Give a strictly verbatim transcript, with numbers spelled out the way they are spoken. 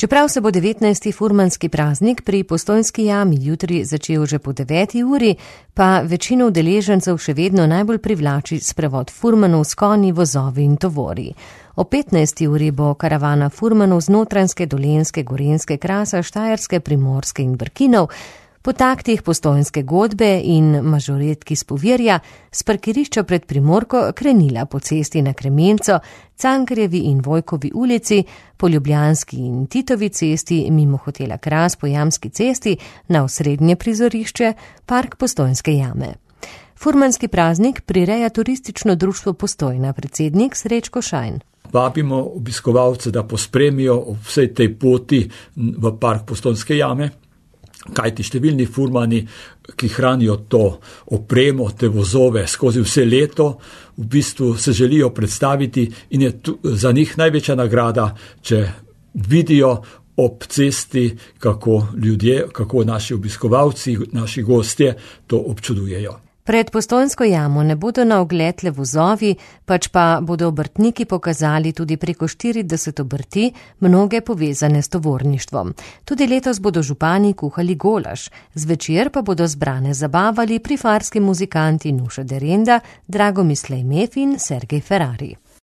Čeprav se bo devetnajsti furmanski praznik pri Postojnski jami jutri začel že po deveti uri, pa večino udeležencev še vedno najbolj privlači sprevod furmanov s konji, vozovi in tovori. O petnajsti uri bo karavana furmanov z Notranjske, Dolenjske, Gorenjske, Krasa, Štajerske, Primorske in Brkinov po taktih Postojnske godbe in mažoretki s Povirja s parkirišča pred Primorko krenila po cesti na Kremenco, Cankarjevi in Vojkovi ulici, po Ljubljanski in Titovi cesti, mimo hotela Kras po Jamski cesti, na osrednje prizorišče, park Postojnske jame. Furmanski praznik prireja turistično društvo Postojna, predsednik Srečko Šajn. Vabimo obiskovalce, da pospremijo ob vsej tej poti v park Postojnske jame, kajti številni furmani, ki hranijo to opremo, te vozove skozi vse leto, v bistvu se želijo predstaviti in je tu, za njih največja nagrada, če vidijo ob cesti, kako ljudje, kako naši obiskovalci, naši gostje to občudujejo. Pred Postojnsko jamo ne bodo na ogled le vozovi, pač pa bodo obrtniki pokazali tudi preko štirideset obrti, mnoge povezane s tovorništvom. Tudi letos bodo župani kuhali golaž, zvečer pa bodo zbrane zabavali prifarski muzikanti Nuša Derenda, Dragomislej Mef in Sergej Ferrari.